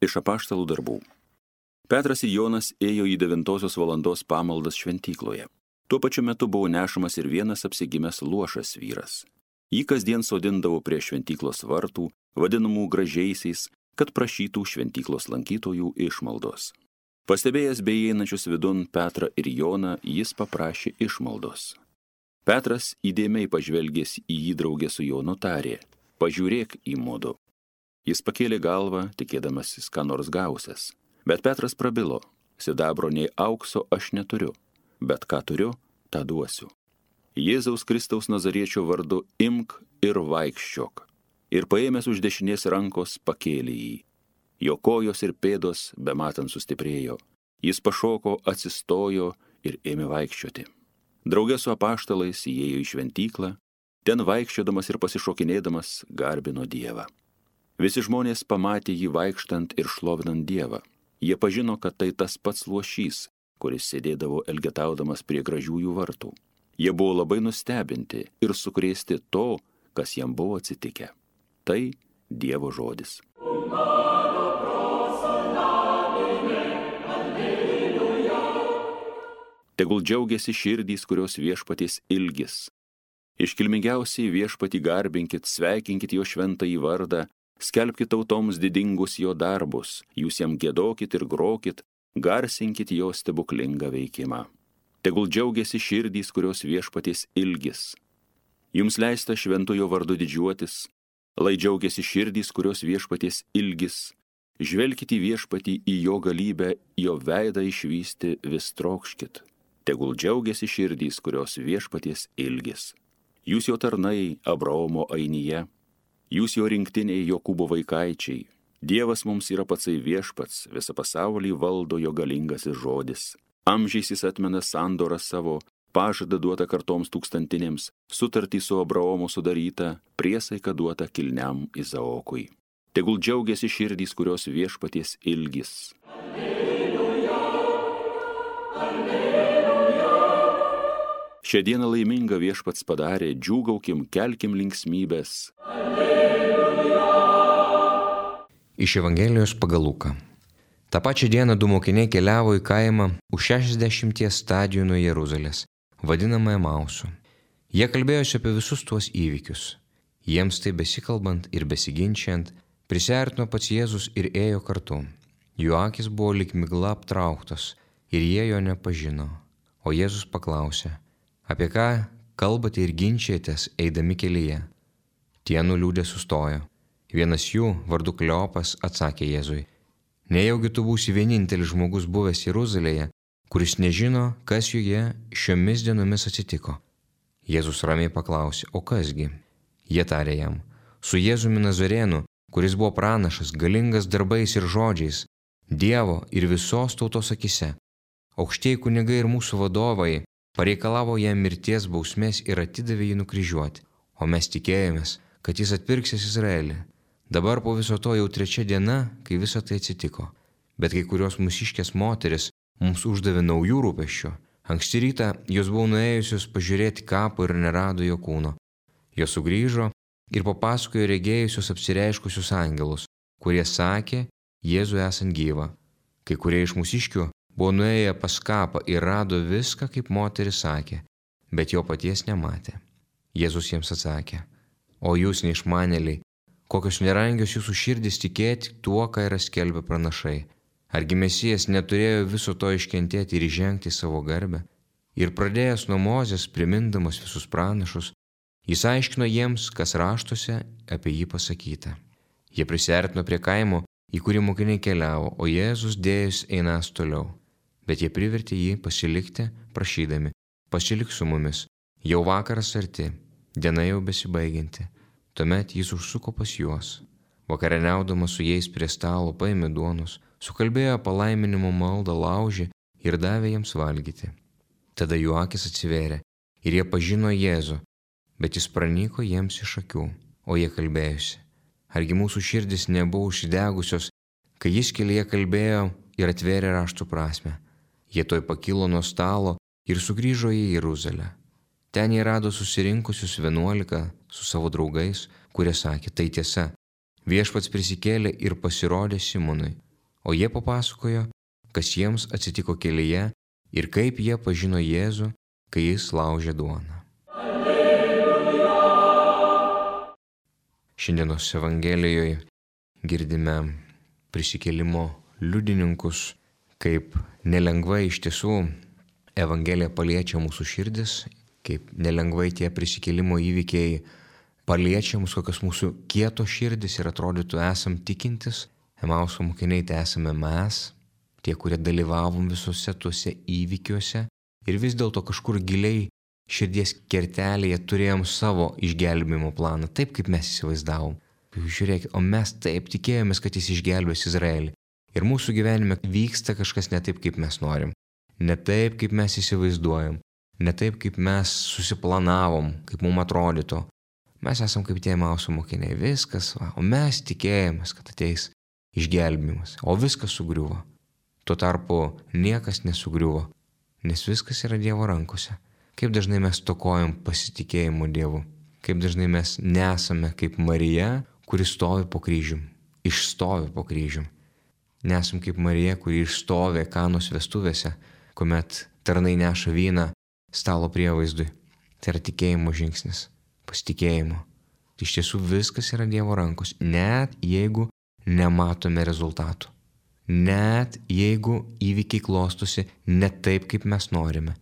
Iš apaštalų darbų. Petras ir Jonas ėjo į 9 valandos pamaldas šventykloje. Tuo pačiu metu buvo nešamas ir vienas apsigimęs luošas vyras. Jį kasdien sodindavo prie šventyklos vartų, vadinamų gražiaisiais, kad prašytų šventyklos lankytojų išmaldos. Pastebėjęs beįeinančius vidun Petrą ir Joną, jis paprašė išmaldos. Petras įdėmiai pažvelgęs į jį draugę su Jonu tarė: pažiūrėk į mudu. Jis pakėlė galvą, tikėdamasis ką nors gausias. Bet Petras prabilo: sidabro nei aukso aš neturiu, bet ką turiu, tą duosiu. Jėzaus Kristaus Nazariečio vardu imk ir vaikščiok. Ir paėmęs už dešinės rankos pakėlė jį. Jo kojos ir pėdos bematant sustiprėjo. Jis pašoko, atsistojo ir ėmė vaikščioti. Drauge su apaštalais įėjo į šventyklą, ten vaikščiodamas ir pasišokinėdamas garbino Dievą. Visi žmonės pamatė jį vaikštant ir šlovinant Dievą. Jie pažino, kad tai tas pats luošys, kuris sėdėdavo elgetaudamas prie gražiųjų vartų. Jie buvo labai nustebinti ir sukrėsti to, kas jam buvo atsitikę. Tai Dievo žodis. Tegul džiaugiasi širdys, kurios viešpaties ilgis. Iškilmingiausiai viešpatį garbinkit, sveikinkit jo šventąjį vardą, skelbkit tautoms didingus jo darbus, jūs jam giedokit ir grokit, garsinkit jo stebuklingą veikimą. Tegul džiaugiasi širdys, kurios viešpaties ilgis. Jums leista šventojo vardu didžiuotis, lai džiaugiasi širdys, kurios viešpaties ilgis. Žvelkit į viešpatį, į jo galybę, jo veidą išvysti vis trokškit. Tegul džiaugiasi širdys, kurios viešpaties ilgis. Jūs jo tarnai Abraomo ainyje, jūs jo rinktiniai Jokūbo vaikaičiai. Dievas mums yra patsai viešpats, visą pasaulį valdo jo galingasis žodis. Amžiais jis atmena sandorą savo, pažadą duotą kartoms tūkstantinėms, sutartį su Abraomu sudarytą, priesaiką duotą kilniam Izaokui. Tegul džiaugiasi širdys, kurios viešpaties ilgis. Šią dieną laimingą viešpats padarė, džiūgaukim, kelkim linksmybės. Iš Evangelijos pagal Luką. Ta pačią dieną 2 mokiniai keliavo į kaimą už 60 stadijų nuo Jeruzalės, vadinamą Emausu. Jie kalbėjosi apie visus tuos įvykius. Jiems tai besikalbant ir besiginčiant, prisiartino pats Jėzus ir ėjo kartu. Jų akys buvo lyg migla aptrauktos ir jie jo nepažino. O Jėzus paklausė: apie ką kalbate ir ginčiatės eidami kelyje? Tie nuliūdę sustojo. Vienas jų, vardu Kleopas, atsakė Jėzui: nejaugi tu būsi vienintelis žmogus buvęs Jeruzalėje, kuris nežino, kas joje šiomis dienomis atsitiko. Jėzus ramiai paklausė: o kasgi? Jie tarė jam: su Jėzumi Nazarėnu, kuris buvo pranašas, galingas darbais ir žodžiais, Dievo ir visos tautos akise. Aukštieji kunigai ir mūsų vadovai pareikalavo jam mirties bausmės ir atidavė jį nukryžiuoti, o mes tikėjomės, kad jis atpirksis Izraelį. Dabar po viso to jau 3 diena, kai visa tai atsitiko. Bet kai kurios mūsiškės moteris mums uždavė naujų rūpesčių. Anksti rytą jos buvo nuėjusios pažiūrėti kapą ir nerado jo kūno. Jos sugrįžo ir papasakojo regėjusios apsireiškusius angelus, kurie sakė Jėzų esant gyvą. Kai kurie iš mūsiškių buvo nuėję pas kapą ir rado viską, kaip moteris sakė, bet jo paties nematė. Jėzus jiems atsakė: o jūs neišmanėliai, kokios nerangios jūsų širdys tikėti tuo, ką yra skelbę pranašai. Argi Mesijas neturėjo viso to iškentėti ir įžengti savo garbę? Ir pradėjęs nuo Mozės, primindamas visus pranašus, jis aiškino jiems, kas raštuose apie jį pasakyta. Jie prisiartino prie kaimo, į kurį mokiniai keliavo, o Jėzus dėjus einas toliau. Bet jie privertė jį pasilikti, prašydami: pasilik su mumis, jau vakaras arti, diena jau besibaigianti. Tuomet jis užsuko pas juos. Vakarieniaudamas su jais prie stalo paėmė duonos, sukalbėjo palaiminimo maldą laužį ir davė jiems valgyti. Tada jų akys atsivėrė ir jie pažino Jėzų, bet jis pranyko jiems iš akių, o jie kalbėjosi: argi mūsų širdys nebuvo užsidegusios, kai jis kelyje kalbėjo ir atvėrė raštų prasmę. Jie toj pakilo nuo stalo ir sugrįžo į Jeruzalę. Ten jie rado susirinkusius 11 su savo draugais, kurie sakė: tai tiesa, viešpats prisikėlė ir pasirodė Simonui. o jie papasakojo, kas jiems atsitiko kelyje ir kaip jie pažino Jėzų, kai jis laužė duoną. Šiandienos Evangelijoje girdime prisikėlimo liudininkus, kaip nelengvai iš tiesų Evangelija paliečia mūsų širdis, kaip nelengvai tie prisikėlimo įvykiai paliečia mus, kokios mūsų kietos širdis ir atrodytų esam tikintis. Emauso mokiniai tai esame mes, tie, kurie dalyvavom visuose tuose įvykiuose ir vis dėlto kažkur giliai širdies kertelėje turėjom savo išgelbėjimo planą, taip kaip mes įsivaizdavom. Žiūrėkit, o mes taip tikėjomės, kad jis išgelbės Izraelį. Ir mūsų gyvenime vyksta kažkas ne taip, kaip mes norim. Ne taip, kaip mes įsivaizduojam. Ne taip, kaip mes susiplanavom, kaip mums atrodytų. Mes esam kaip tie Emauso mokiniai. Viskas, o mes tikėjomės, kad ateis išgelbėjimas. O viskas sugriuvo. Tuo tarpu niekas nesugriuvo, nes viskas yra Dievo rankose. Kaip dažnai mes stokojam pasitikėjimo Dievu. Kaip dažnai mes nesame kaip Marija, kuri stovi po kryžium. Išstovi po kryžium. Nesam kaip Marija, kuri išstovi Kanos vestuvėse, kuomet tarnai neša vyną stalo prievaizdui. Tai yra tikėjimo žingsnis, pasitikėjimo. Iš tiesų viskas yra Dievo rankos, net jeigu nematome rezultatų. Net jeigu įvykiai klostosi ne taip, kaip mes norime.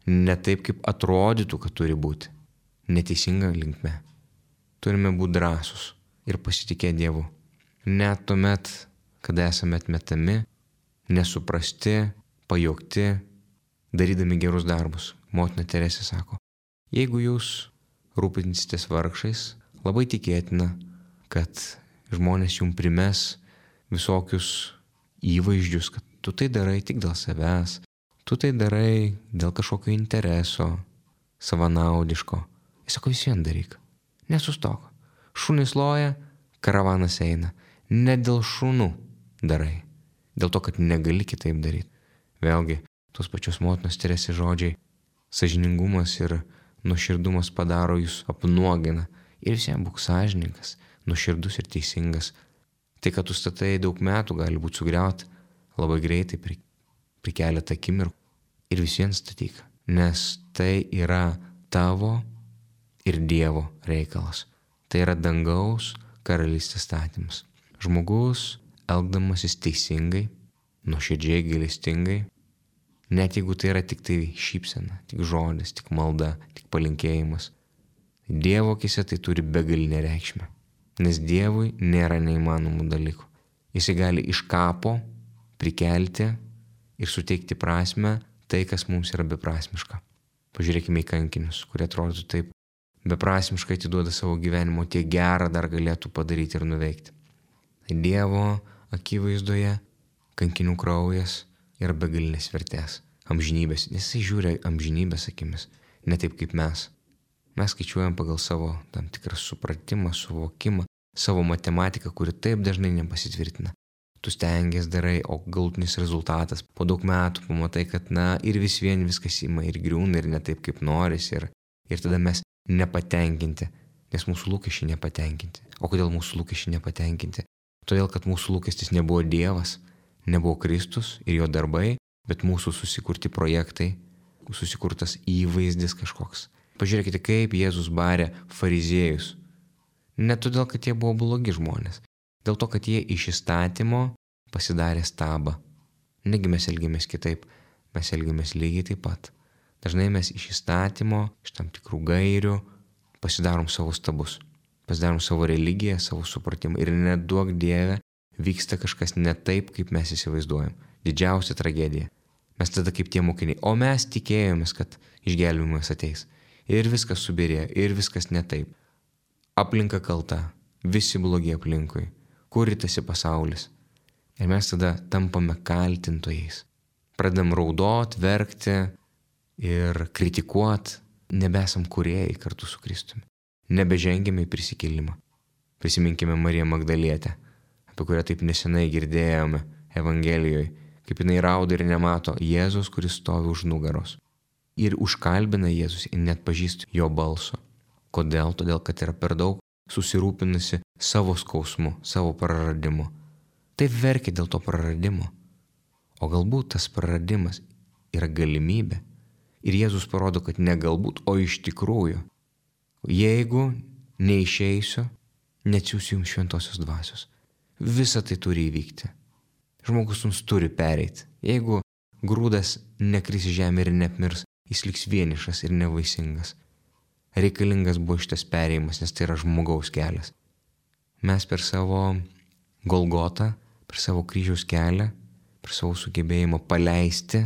Ne taip, kaip atrodytų, kad turi būti. Neteisinga linkme. Turime būti drąsūs ir pasitikėti Dievu. Net tuomet, kada esame atmetami, nesuprasti, pajuokti, darydami gerus darbus. Motina Teresė sako, jeigu jūs rūpinsitės vargšais, labai tikėtina, kad žmonės jums primes visokius įvaizdžius, kad tu tai darai tik dėl savęs, tu tai darai dėl kažkokio intereso, savanaudiško. Jis sako, vis vien daryk, nesustok. Šunys loja, karavanas eina. Ne dėl šunų darai, dėl to, kad negali kitaip daryti. Vėlgi, tos pačios motinos Teresės žodžiai, sąžiningumas ir nuoširdumas padaro jūs apnuogina. Ir visiems būk sąžiningas, nuoširdus ir teisingas. Tai, kad tu statai daug metų, gali būti sugriauti labai greitai per keletą akimirkų. Ir vis vien statyk, nes tai yra tavo ir Dievo reikalas. Tai yra dangaus karalystės statymas. Žmogus, elgdamasis teisingai, nuoširdžiai, gailestingai, net jeigu tai yra tik tai šypsena, tik žodis, tik malda, tik palinkėjimas, Dievo akise tai turi begalinę reikšmę. Nes Dievui nėra neįmanomų dalykų. Jis gali iš kapo prikelti ir suteikti prasmę tai, kas mums yra beprasmiška. Pažiūrėkime į kankinius, kurie atrodo taip beprasmiškai atiduoda savo gyvenimo, tiek gerą dar galėtų padaryti ir nuveikti. Dievo akivaizdoje kankinių kraujas yra begalinės vertės, amžinybės. Jisai žiūri amžinybės akimis, ne taip kaip mes. Mes skaičiuojam pagal savo tam tikrą supratimą, suvokimą, savo matematiką, kuri taip dažnai nepasitvirtina. Tu stengies darai, o galutinis rezultatas po daug metų pamatai, kad ir vis vien viskas ima ir griūna ir ne taip kaip noris ir tada mes nepatenkinti, nes mūsų lūkesčiai nepatenkinti. O kodėl mūsų lūkesčiai nepatenkinti? Todėl, kad mūsų lūkestis nebuvo Dievas, nebuvo Kristus ir jo darbai, bet mūsų susikurti projektai, susikurtas įvaizdis kažkoks. Pažiūrėkite, kaip Jėzus barė fariziejus. Ne todėl, kad jie buvo blogi žmonės, dėl to, kad jie iš įstatymo pasidarė stabą. Negi mes elgiamės kitaip, mes elgiamės lygiai taip pat. Dažnai mes iš įstatymo, iš tam tikrų gairių pasidarom savo stabus, pasidarom savo religiją, savo supratimą ir neduok Dieve vyksta kažkas ne taip, kaip mes įsivaizduojam. Didžiausia tragedija. Mes tada kaip tie mokiniai, o mes tikėjomės, kad išgelbėjimas ateis. Ir viskas subirėjo, ir viskas ne taip. Aplinka kalta, visi blogi aplinkui, kuritasi pasaulis. Ir mes tada tampame kaltintojais. Pradedam raudot, verkti ir kritikuot, nebesam kūrėjai kartu su Kristumi. Nebežengėme į prisikėlimą. Prisiminkime Mariją Magdalietę, apie kurią taip nesenai girdėjome Evangelijoje, kaip jinai rauda ir nemato Jėzus, kuris stovi už nugaros. Ir užkalbina Jėzus ir net pažįsta jo balso. Kodėl? Todėl, kad yra per daug susirūpinusi savo skausmu, savo praradimu. taip verkia dėl to praradimo. O galbūt tas praradimas yra galimybė. Ir Jėzus parodo, kad ne galbūt, o iš tikrųjų. Jeigu neišeisiu, neatsiųsiu jums šventosios dvasios. Visa tai turi įvykti. Žmogus jums turi pereiti. Jeigu grūdas nekris į žemę ir neapmirs, jis liks vienišas ir nevaisingas. Reikalingas buvo šitas perėjimas, nes tai yra žmogaus kelias. Mes per savo Golgotą, per savo kryžiaus kelią, per savo sugebėjimą paleisti,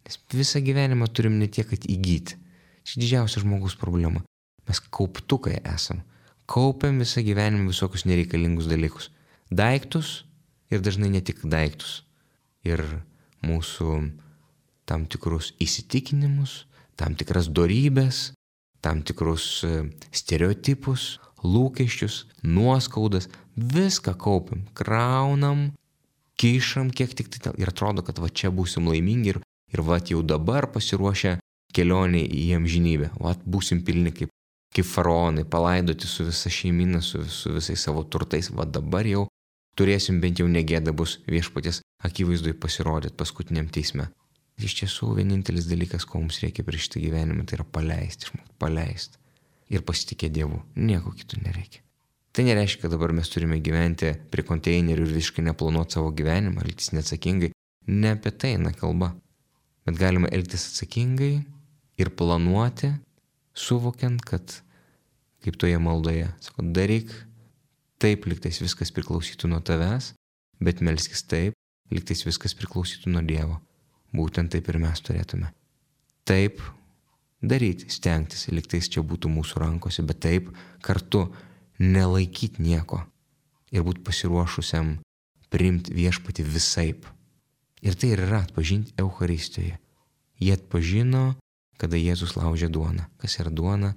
nes visą gyvenimą turim ne tiek, kad įgyti. Čia didžiausia žmogaus problema. Mes kauptukai esam. Kaupiam visą gyvenimą visokius nereikalingus dalykus. Daiktus ir dažnai ne tik daiktus. Ir mūsų tam tikrus įsitikinimus, tam tikras dorybės, tam tikrus stereotipus, lūkesčius, nuoskaudas, viską kaupiam, kraunam, kišam kiek tik tai ir atrodo, kad va čia būsim laimingi ir va jau dabar pasiruošę kelionė į amžinybę. Va būsim pilni kaip faraonai, palaidoti su visa šeimina, su visais savo turtais. Va dabar jau turėsim bent jau negėda bus viešpaties akivaizdui pasirodyti paskutiniam teisme. Iš tiesų, vienintelis dalykas, ko mums reikia prieš šitą gyvenimą, tai yra paleisti. Ir pasitikėti Dievu. Nieko kito nereikia. Tai nereiškia, kad dabar mes turime gyventi prie konteinerių ir visiškai neplanuoti savo gyvenimą, elgtis neatsakingai. Ne apie tai eina kalba. Bet galima elgtis atsakingai ir planuoti, suvokiant, kad kaip toje maldoje, sako, daryk taip, lygtais viskas priklausytų nuo tavęs, bet melskis taip, lygtais viskas priklausytų nuo Dievo. Būtent taip ir mes turėtume. Taip daryti, stengtis, lygtais čia būtų mūsų rankose, bet taip kartu nelaikyti nieko ir būti pasiruošusiam priimti viešpatį visaip. Ir tai ir yra atpažinti Eucharistijoje. Jie atpažino, kada Jėzus laužė duoną. Kas yra duona,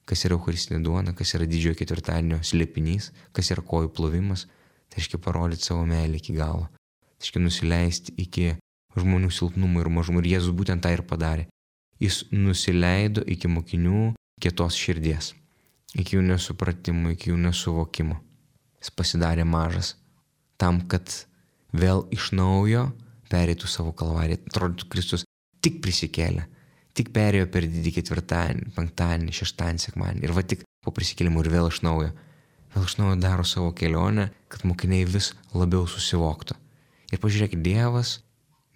kas yra Eucharistinė duona, kas yra didžiojo ketvirtadienio slėpinys, kas yra kojų plovimas. Tai reiškia parodyti savo meilę iki galo. Tai reiškia nusileisti iki žmonių silpnumų ir mažumų. Ir Jėzus būtent tą ir padarė. Jis nusileido iki mokinių kietos širdies, iki jų nesupratimo, iki jų nesuvokimo. Jis pasidarė mažas tam, kad vėl iš naujo pereitų savo kalvariją. Atrodytų, Kristus tik prisikėlė, tik perėjo per didį ketvirtadienį, penktadienį, šeštadienį, sekmadienį. Ir va tik po prisikėlimo ir vėl iš naujo daro savo kelionę, kad mokiniai vis labiau susivoktų. Ir pažiūrėkit, Dievas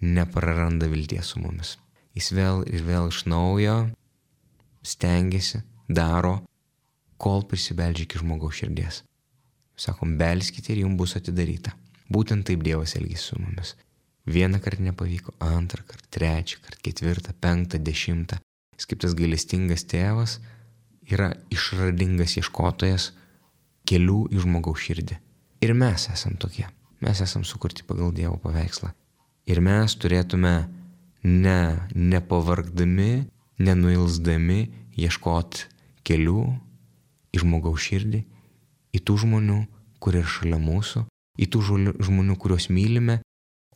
nepraranda vilties su mumis. Jis vėl ir vėl iš naujo stengiasi, daro, kol prisibeldžia iki žmogaus širdies. Sakom, belskite ir jums bus atidaryta. Būtent taip Dievas elgėsi su mumis. Vieną kartą nepavyko, antrą kartą, trečią kartą, ketvirtą, penktą, 10. Jis kaip tas gailestingas tėvas yra išradingas ieškotojas kelių į žmogaus širdį. Ir mes esam tokie. Mes esam sukurti pagal Dievo paveikslą. Ir mes turėtume nepavargdami, nenuilsdami ieškoti kelių į žmogaus širdį, į tų žmonių, kurie yra šalia mūsų, į tų žmonių, kuriuos mylime,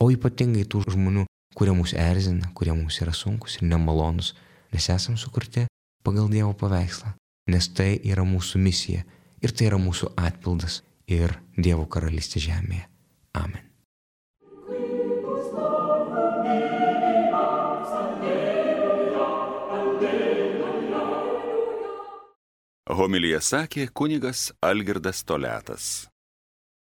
o ypatingai tų žmonių, kurie mus erzina, kurie mums yra sunkus ir nemalonus, nes esam sukurti pagal Dievo paveikslą, nes tai yra mūsų misija ir tai yra mūsų atpildas ir Dievo karalystė žemėje. Amen. Homiliją sakė kunigas Algirdas Toliatas.